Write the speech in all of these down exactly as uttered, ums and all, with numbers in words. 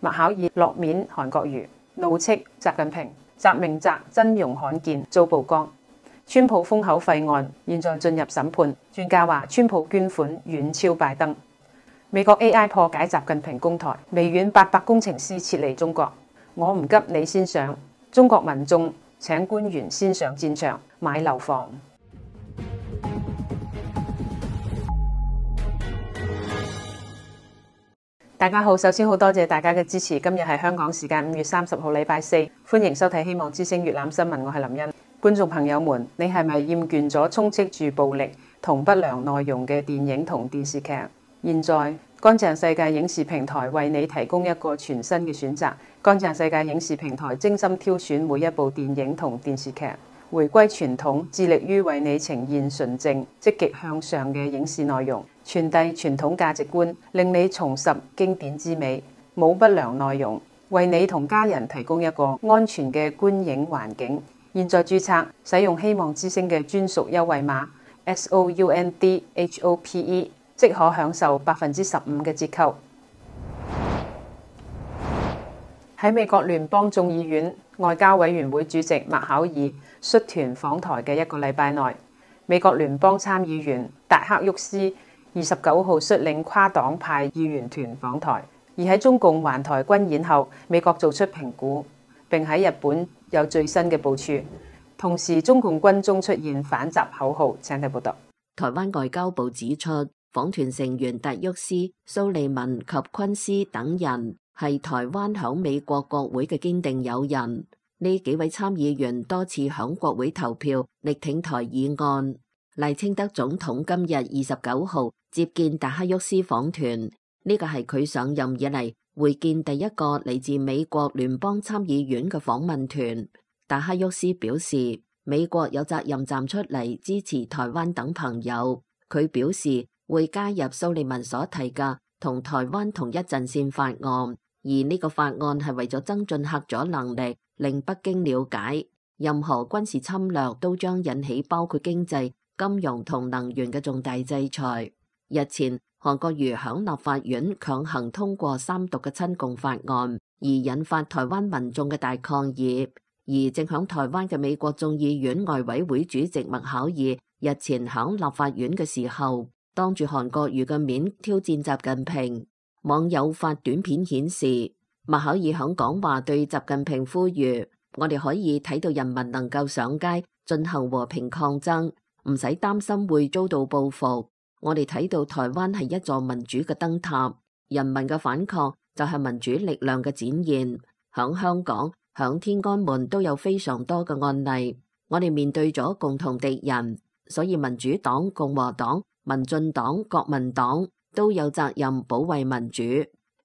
麥考爾落面韓國瑜，怒斥習近平，習明澤真容罕見遭曝光。川普封口費案現在進入審判，專家話川普捐款遠超拜登。美國 A I 破解習近平攻台，微軟八百工程師撤離中國。我唔急你先上，中國民眾請官員先上戰場買樓房。大家好，首先好多謝大家嘅支持。今日係香港時間五月三十號禮拜四，歡迎收睇希望之聲粵覽新聞，我係林茵。觀眾朋友們，你係咪厭倦咗充斥住暴力同不良內容嘅電影同電視劇？現在乾淨世界影視平台為你提供一個全新嘅選擇。乾淨世界影視平台精心挑選每一部電影同電視劇，回歸傳統，致力於為你呈現純正、積極向上嘅影視內容，傳遞傳統價值觀，令你重拾經典之美，冇不良內容，為你同家人提供一個安全嘅觀影環境。現在註冊，使用希望之聲嘅專屬優惠碼 S O U N D H O P E， 即可享受百分之十五嘅折扣。喺美國聯邦眾議院外交委員會主席麥考爾率團訪台嘅一個禮拜內，美國聯邦參議員達克沃斯二十九號率領跨黨派議員團訪台。而喺中共環台軍演後，美國做出評估，並喺日本有最新嘅部署。同時，中共軍中出現反習口號。請睇報道。台灣外交部指出，訪團成員達沃斯、蘇利文及昆斯等人係台灣響美國國會嘅堅定友人。呢幾位參議員多次響國會投票力挺台議案。賴清德總統今日二十九號接見達克沃斯訪團，呢個係佢上任以嚟會見第一個嚟自美國聯邦參議院嘅訪問團。達克沃斯表示，美國有責任站出嚟支持台灣等朋友。佢表示會加入蘇利文所提嘅同台灣同一陣線法案，而呢個法案係為咗增進嚇阻能力，令北京了解任何軍事侵略都將引起包括經濟、金融同能源嘅重大制裁。日前，韓國瑜響立法院強行通過三讀嘅親共法案，而引發台灣民眾嘅大抗議。而正響台灣嘅美國眾議院外委會主席麥考爾日前響立法院嘅時候，當住韓國瑜嘅面挑戰習近平。網友發短片顯示，麥考爾響講話對習近平呼籲：我哋可以睇到人民能夠上街進行和平抗爭，唔使擔心會遭到報復。我哋睇到台灣係一座民主嘅燈塔，人民嘅反抗就係民主力量嘅展現。響香港、響天安門都有非常多嘅案例，我哋面對咗共同敵人，所以民主黨、共和黨、民進黨、國民黨都有責任保衛民主。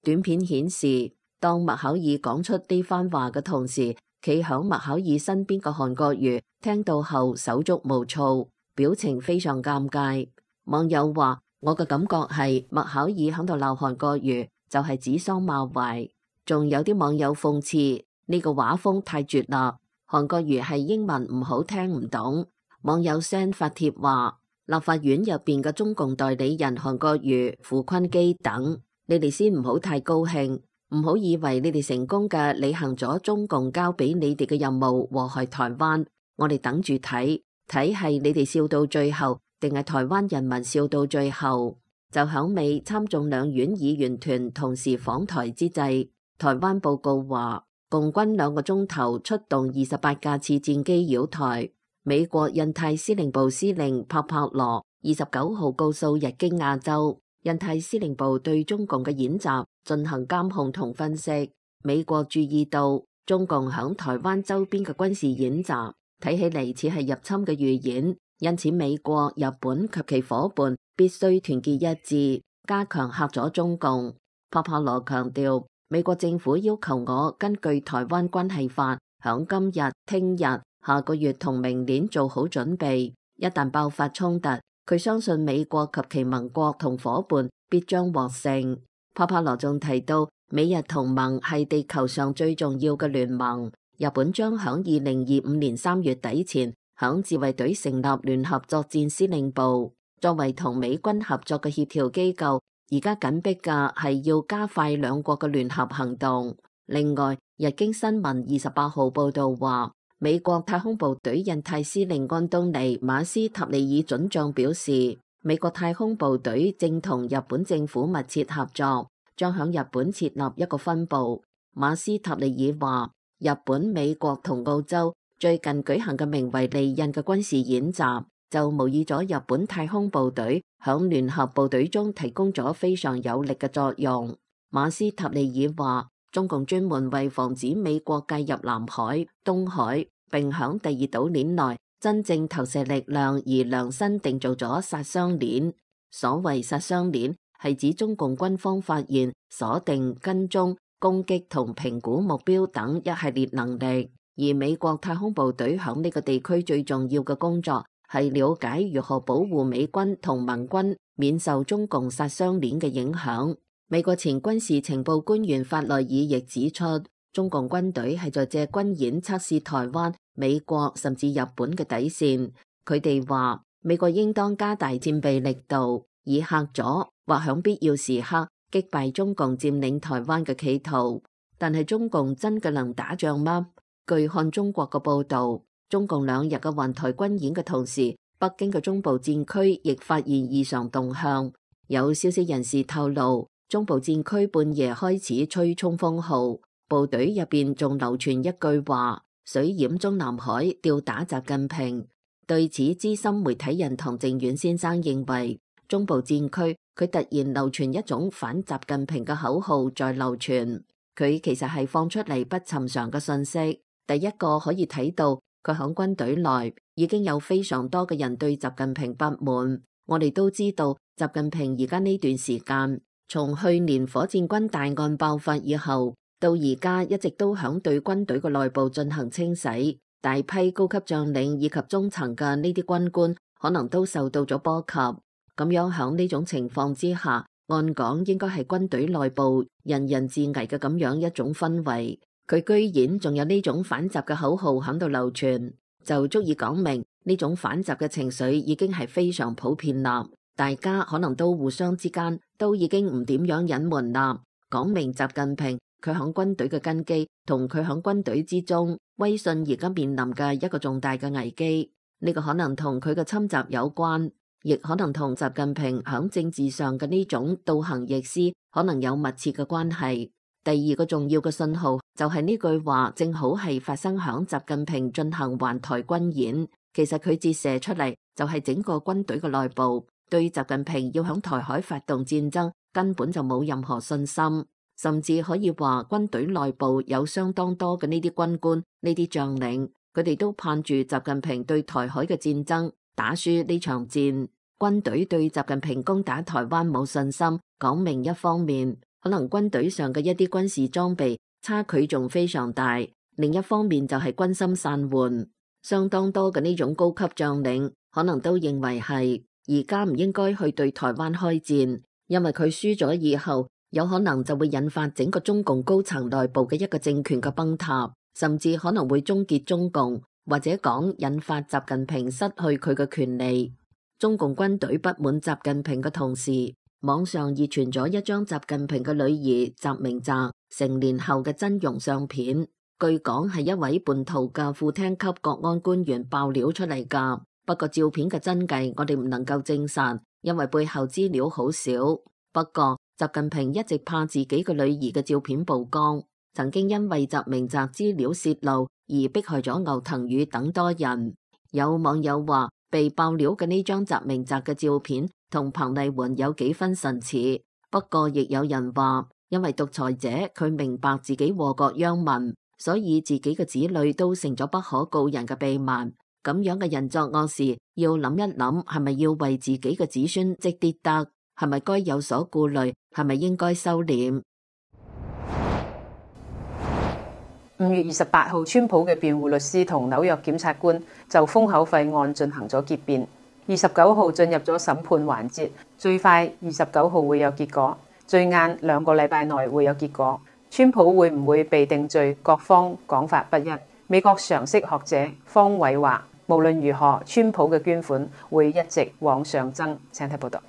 短片顯示，當麥考爾講出呢番話嘅同時，企響麥考爾身邊嘅韓國瑜聽到後手足無措，表情非常尷尬。網友話：我嘅感覺係麥考爾響度鬧韓國瑜就係指桑罵槐。仲有啲網友諷刺呢個畫風太絕啦，韓國瑜係英文唔好聽唔懂。網友 send 發帖話：立法院入邊嘅中共代理人韓國瑜、傅昆基等，你哋先唔好太高興，唔好以為你哋成功嘅履行咗中共交俾你哋嘅任務，禍害台灣。我哋等住睇，睇係你哋笑到最後，定係台灣人民笑到最後。就響美參眾兩院議員團同時訪台之際，台灣報告話，共軍兩個鐘頭出動二十八架次戰機擾台。美國印太司令部司令帕帕羅二十九號告訴日經亞洲，印太司令部對中共嘅演習進行監控同分析。美國注意到中共響台灣周邊嘅軍事演習，睇起嚟似係入侵嘅預演。因此，美國、日本及其夥伴必須團結一致，加強嚇阻中共。帕帕羅強調，美國政府要求我根據台灣關係法，響今日、聽日、下個月同明年做好準備。一旦爆發衝突，佢相信美國及其盟國同夥伴必將獲勝。帕帕羅仲提到，美日同盟係地球上最重要嘅聯盟。日本將響二零二五年三月底前，響自衛隊成立聯合作戰司令部，作為同美軍合作嘅協調機構，而家緊迫嘅係要加快兩國嘅聯合行動。另外，日經新聞二十八號報道話，美國太空部隊印太司令安東尼馬斯塔利爾准將表示，美國太空部隊正同日本政府密切合作，將響日本設立一個分部。馬斯塔利爾話，日本、美國同澳洲最近舉行嘅名為利刃嘅軍事演習，就模擬咗日本太空部隊響聯合部隊中提供咗非常有力嘅作用。馬斯塔利爾話，中共專門為防止美國介入南海、東海，並響第二島鏈內真正投射力量而量身定做咗殺傷鏈。所謂殺傷鏈係指中共軍方發現、鎖定、跟蹤、攻擊同評估目標等一系列能力，而美國太空部隊響呢個地區最重要嘅工作係了解如何保護美軍同盟軍免受中共殺傷鏈嘅影響。美國前軍事情報官員法內爾亦指出，中共軍隊係在借軍演測試台灣、美國甚至日本嘅底線。佢哋話，美國應當加大戰備力度，以嚇阻或響必要時刻擊敗中共佔領台灣嘅企圖。但係中共真嘅能打仗嗎？據看中國嘅報道，中共兩日嘅環台軍演嘅同時，北京嘅中部戰區亦發現異常動向。有消息人士透露，中部戰區半夜開始吹衝鋒號，部隊入邊仲流傳一句話：水淹中南海，吊打習近平。對此，資深媒體人唐靖遠先生認為，中部戰區佢突然流傳一種反習近平嘅口號在流傳，佢其實係放出嚟不尋常嘅信息。第一個可以睇到，佢響軍隊內已經有非常多嘅人對習近平不滿。我哋都知道，習近平而家呢段時間，從去年火箭軍大案爆發以後，到而家一直都響對軍隊嘅內部進行清洗，大批高級將領以及中層嘅呢啲軍官可能都受到咗波及。咁樣響呢種情況之下，按講應該係軍隊內部人人自危嘅咁樣一種氛圍，佢居然仲有呢種反習嘅口號響度流傳，就足以講明呢種反習嘅情緒已經係非常普遍啦。大家可能都互相之間都已經唔點樣隱瞞啦，講明習近平佢響軍隊嘅根基同佢響軍隊之中威信而家面臨嘅一個重大嘅危機。呢個可能同佢嘅侵襲有關，亦可能同習近平響政治上嘅呢種倒行逆施可能有密切嘅關係。第二個重要嘅信號就係呢句話正好係發生響習近平進行環台軍演，其實佢折射出嚟就係整個軍隊嘅內部對習近平要響台海發動戰爭根本就冇任何信心，甚至可以話軍隊內部有相當多嘅呢啲軍官、呢啲將領，佢哋都盼住習近平對台海嘅戰爭打輸呢場戰。軍隊對習近平攻打台灣冇信心，講明一方面可能軍隊上嘅一啲軍事裝備差距仲非常大，另一方面就係軍心散渙，相當多嘅呢種高級將領可能都認為係而家唔應該去對台灣開戰，因為佢輸咗以後，有可能就會引發整個中共高層內部嘅一個政權嘅崩塌，甚至可能會終結中共，或者講引發習近平失去佢嘅權利。中共軍隊不滿習近平嘅同時，網上熱傳咗一張習近平嘅女兒習明澤成年後嘅真容相片，據講係一位叛徒嘅副廳級國安官員爆料出嚟㗎。不過照片嘅真偽我哋唔能夠證實，因為背後資料好少。不過習近平一直怕自己嘅女兒嘅照片曝光，曾經因為習明澤資料洩露而迫害咗牛騰宇等多人。有網友話，被爆料嘅呢張習明澤嘅照片同彭麗媛有幾分神似。不過亦有人話，因為獨裁者佢明白自己禍國殃民，所以自己嘅子女都成咗不可告人嘅秘密。咁樣嘅人作惡事，要諗一諗，係咪要為自己嘅子孫積啲德？係咪該有所顧慮？係咪應該收斂？五月二十八號，川普嘅辯護律師同紐約檢察官就封口費案進行咗結辯，二十九號進入咗審判環節，最快二十九號會有結果，最晏兩個禮拜內會有結果。川普會唔會被定罪？各方講法不一。美國常識學者方偉話，無論如何，川普嘅捐款會一直往上增。請睇報道。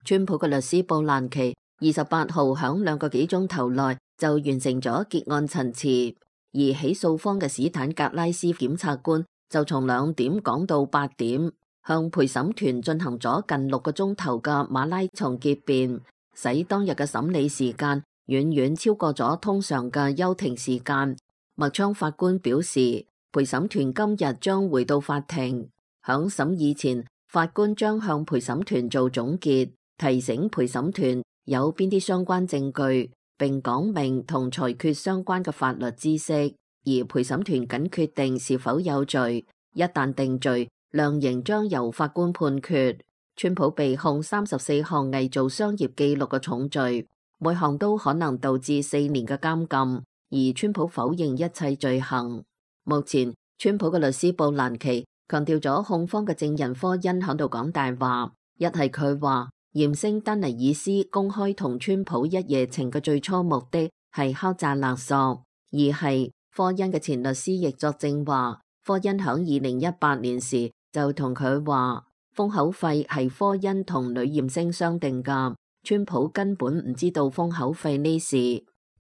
川普嘅律師布蘭奇二十八號響兩個幾鐘頭內就完成咗結案陳詞，而起訴方嘅史坦格拉斯檢察官就從兩點講到八點，向陪審團進行咗近六個鐘頭嘅馬拉松結辯，使當日嘅審理時間遠遠超過咗通常嘅休庭時間。麥昌法官表示，陪審團今日將回到法庭，響審議前，法官將向陪審團做總結，提醒陪審團有邊啲相關證據，並講明同裁決相關嘅法律知識，而陪審團僅決定是否有罪。一旦定罪，量刑將由法官判決。川普被控三十四項偽造商業記錄嘅重罪，每項都可能導致四年嘅監禁，而川普否認一切罪行。目前，川普嘅律師布蘭奇強調咗控方嘅證人科恩喺度講大話，一係佢話艷星丹尼爾斯公開同川普一夜情嘅最初目的係敲詐勒索，二係科恩嘅前律師亦作證話，科恩響二零一八年時就同佢話封口費係科恩同女艷星商定噶，川普根本唔知道封口費呢事，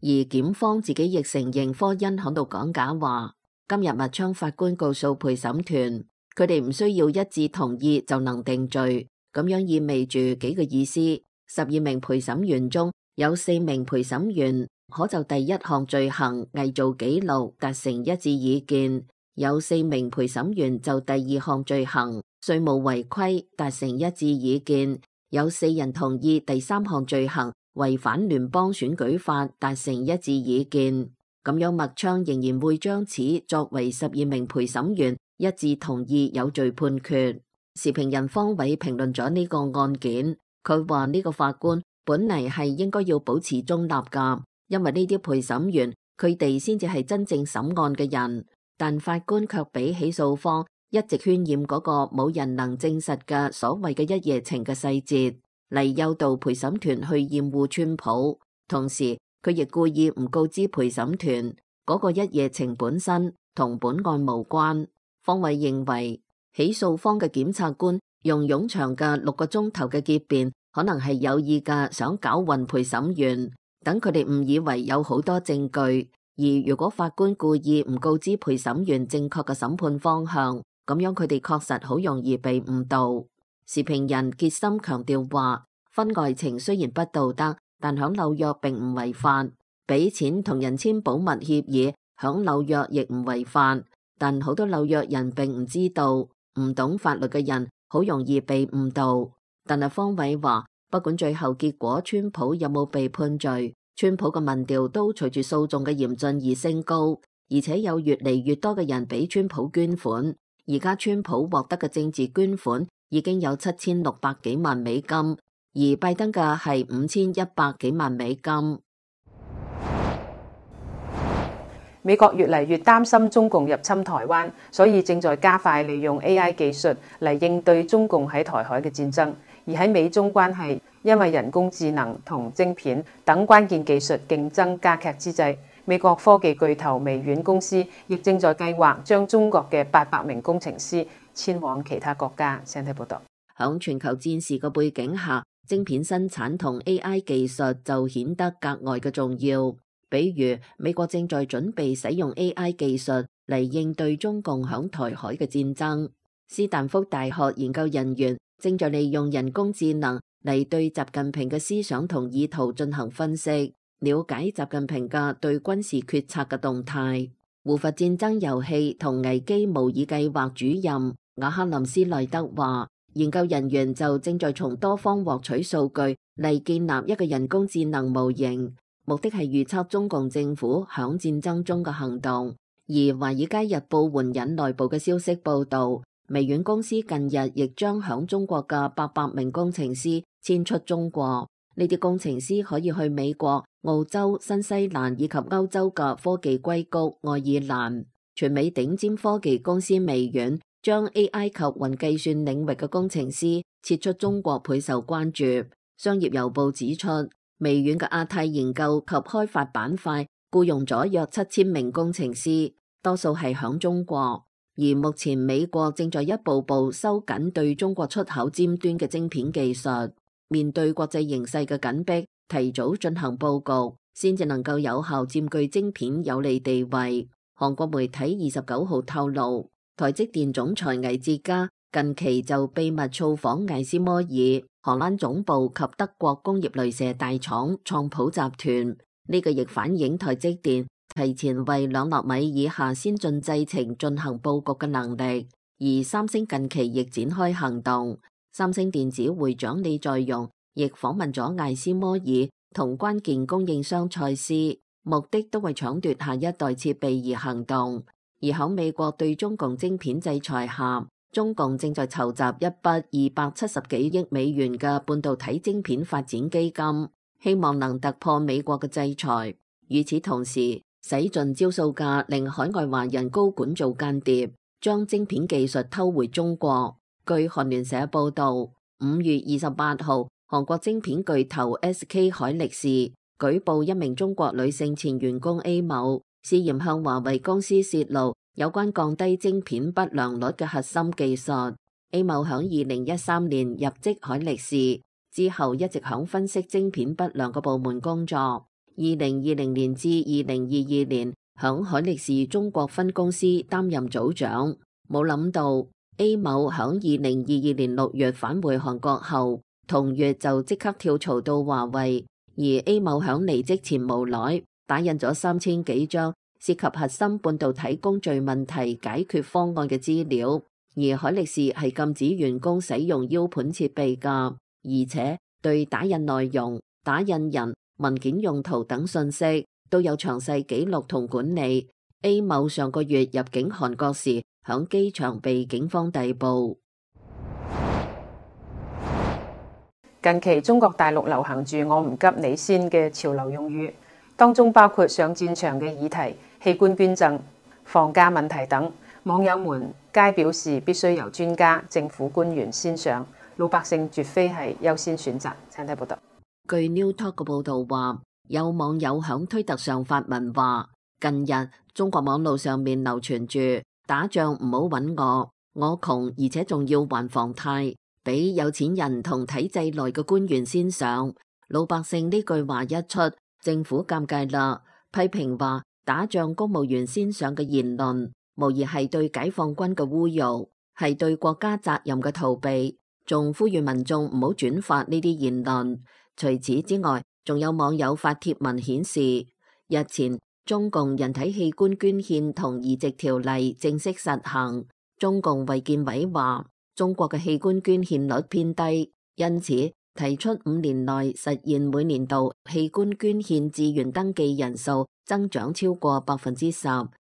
而檢方自己亦承認科恩喺度講假話。今日麥昌法官告訴陪審團，佢哋唔需要一致同意就能定罪。咁樣意味住幾個意思？十二名陪審員中有四名陪審員可就第一項罪行偽造紀錄達成一致意見，有四名陪審員就第二項罪行稅務違規達成一致意見，有四人同意第三項罪行違反聯邦選舉法達成一致意見。咁樣麥昌仍然會將此作為十二名陪審員一致同意有罪判決。時評人方偉評論咗呢個案件，佢話呢個法官本嚟係應該要保持中立噶，因為呢啲陪審員佢哋先至係真正審案嘅人，但法官卻俾起訴方一直渲染嗰個冇人能證實嘅所謂嘅一夜情嘅細節，嚟誘導陪審團去厭惡川普，同時佢亦故意唔告知陪審團嗰個一夜情本身同本案無關。方偉認為，起訴方嘅檢察官用冗長嘅六個鐘頭嘅結辯，可能係有意嘅想搞混陪審員，等佢哋誤以為有好多證據。而如果法官故意唔告知陪審員正確嘅審判方向，咁樣佢哋確實好容易被誤導。時評人傑森強調話，婚外情雖然不道德，但響紐約並唔違法，俾錢同人簽保密協議響紐約亦唔違法，但好多紐約人並唔知道。唔懂法律嘅人好容易被誤導，但係方偉話，不管最後結果川普有冇被判罪，川普嘅民調都隨住訴訟嘅嚴峻而升高，而且有越嚟越多嘅人俾川普捐款。而家川普獲得嘅政治捐款已經有七千六百幾萬美金，而拜登嘅係五千一百幾萬美金。美國越嚟越擔心中共入侵台灣，所以正在加快利用 A I 技術嚟應對中共喺台海嘅戰爭。而喺美中關係因為人工智能同晶片等關鍵技術競爭加劇之際，美國科技巨頭微軟公司亦正在計劃將中國嘅八百名工程師遷往其他國家。請睇報道。響全球戰事嘅背景下，晶片生產同 A I 技術就顯得格外嘅重要。比如美國正在準備使用 A I 技術嚟應對中共響台海嘅戰爭。斯坦福大學研究人員正在利用人工智能嚟對習近平嘅思想同意圖進行分析，了解習近平嘅對軍事決策嘅動態。胡佛戰爭遊戲同危機模擬計劃主任瓦克林斯內德話，研究人員就正在從多方獲取數據嚟建立一個人工智能模型。目的係預測中共政府響戰爭中嘅行動。而《華爾街日報》援引內部嘅消息報道，微軟公司近日亦將響中國嘅八百名工程師遷出中國。呢啲工程師可以去美國、澳洲、新西蘭以及歐洲嘅科技硅谷愛爾蘭。全美頂尖科技公司微軟將 A I 及雲計算領域嘅工程師撤出中國，倍受關注。商業郵報指出，微軟嘅亞太研究及開發板塊僱傭咗約七千名工程師，多數係響中國。而目前美國正在一步步收緊對中國出口尖端嘅晶片技術。面對國際形勢嘅緊迫，提早進行佈局，先至能夠有效佔據晶片有利地位。韓國媒體二十九號透露，台積電總裁魏哲家近期就秘密造訪艾斯摩爾、荷蘭總部及德國工業雷射大廠創普集團。呢個亦反映台積電提前為兩納米以下先進製程進行佈局嘅能力。而三星近期亦展開行動，三星電子會長李在鎔亦訪問咗艾斯摩爾同關鍵供應商蔡司，目的都為搶奪下一代設備而行動。而喺美國對中共晶片制裁下，中共正在籌集一筆二百七十幾億美元嘅半導體晶片發展基金，希望能突破美國嘅制裁。與此同時，使盡招數架令海外華人高管做間諜，將晶片技術偷回中國。據韓聯社報道，五月二十八號，韓國晶片巨頭 S K 海力士舉報一名中國女性前員工 A 某涉嫌向華為公司泄露有關降低晶片不良率嘅核心技術。A 某響二零一三年入職海力士之後，一直響分析晶片不良嘅部門工作。二零二零年至二零二二年，響海力士中國分公司擔任組長。冇諗到 A 某響二零二二年六月返回韓國後，同月就即刻跳槽到華為。而 A 某響離職前無耐打印咗三千幾張涉及核心半導體工序問題解決方案嘅資料。而海力士係禁止員工使用 U 盤設備㗎，而且對打印內容、打印人、文件用途等信息都有詳細記錄同管理。A 某上個月入境韓國時，響機場被警方逮捕。近期中國大陸流行住我唔急你先嘅潮流用語，當中包括上戰場嘅議題、器官捐贈、房價問題等。網友們皆表示必須由專家、政府官員先上，老百姓絕非係優先選擇。請睇報道。據 New Talk 嘅報道話，有網友響推特上發文話，近日中國網路上面流傳住打仗唔好揾我，我窮而且仲要還房貸，俾有錢人同體制內嘅官員先上。老百姓呢句話一出，政府尷尬啦，批評話打仗公務員先上嘅言論無疑係對解放軍嘅侮辱，係對國家責任嘅逃避，仲呼籲民眾唔好轉發呢啲言論。除此之外，仲有網友發帖文顯示，日前中共人體器官捐獻同移植條例正式實行。中共衛健委話，中國嘅器官捐獻率偏低，因此提出五年內實現每年度器官捐獻志願登記人數增長超過百分之十，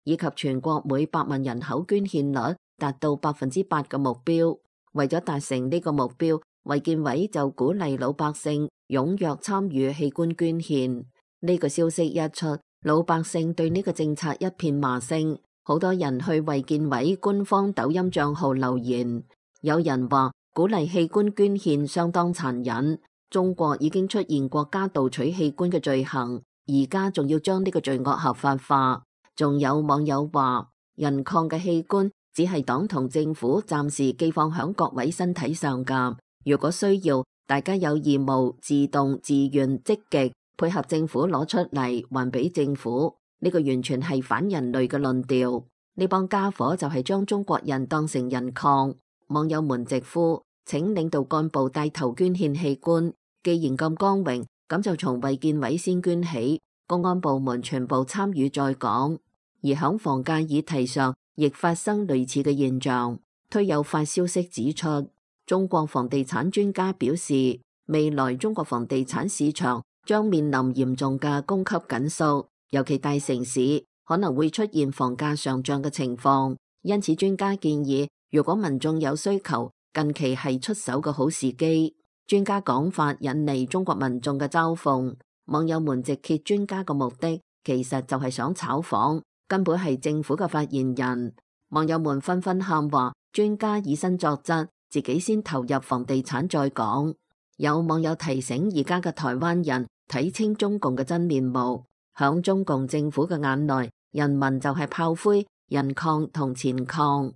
以及全國每百萬人口捐獻率達到百分之八嘅目標。為咗達成呢個目標，衛健委就鼓勵老百姓踴躍參與器官捐獻。呢個消息一出，老百姓對呢個政策一片罵聲，好多人去衛健委官方抖音賬號留言。有人話鼓勵器官捐獻相當殘忍，中國已經出現國家盜取器官嘅罪行，而家仲要將呢個罪惡合法化。仲有網友話，人礦嘅器官只係黨同政府暫時寄放響各位身體上噶，如果需要，大家有義務自動自願積極配合政府攞出嚟還俾政府。呢個完全係反人類嘅論調，呢幫家伙就係將中國人當成人礦。網友們直呼，請領導幹部帶頭捐獻器官，既然咁光榮，咁就從衛健委先捐起，公安部門全部參與再講。而響房價議題上，亦發生類似嘅現象。推有發消息指出，中國房地產專家表示，未來中國房地產市場將面臨嚴重嘅供給緊縮，尤其大城市可能會出現房價上漲嘅情況。因此，專家建議，如果民眾有需求，近期係出手嘅好時機。專家講法引嚟中國民眾嘅嘲諷，網友們直揭專家嘅目的，其實就係想炒房，根本係政府嘅發言人。網友們紛紛喊話，專家以身作則，自己先投入房地產再講。有網友提醒而家嘅台灣人睇清中共嘅真面目，響中共政府嘅眼內，人民就係炮灰、人礦同錢礦。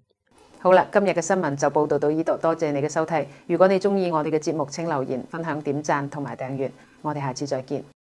好啦，今日嘅新聞就報道到呢度，多謝你嘅收睇。如果你中意我哋嘅節目，請留言、分享、點讚同埋訂閱。我哋下次再見。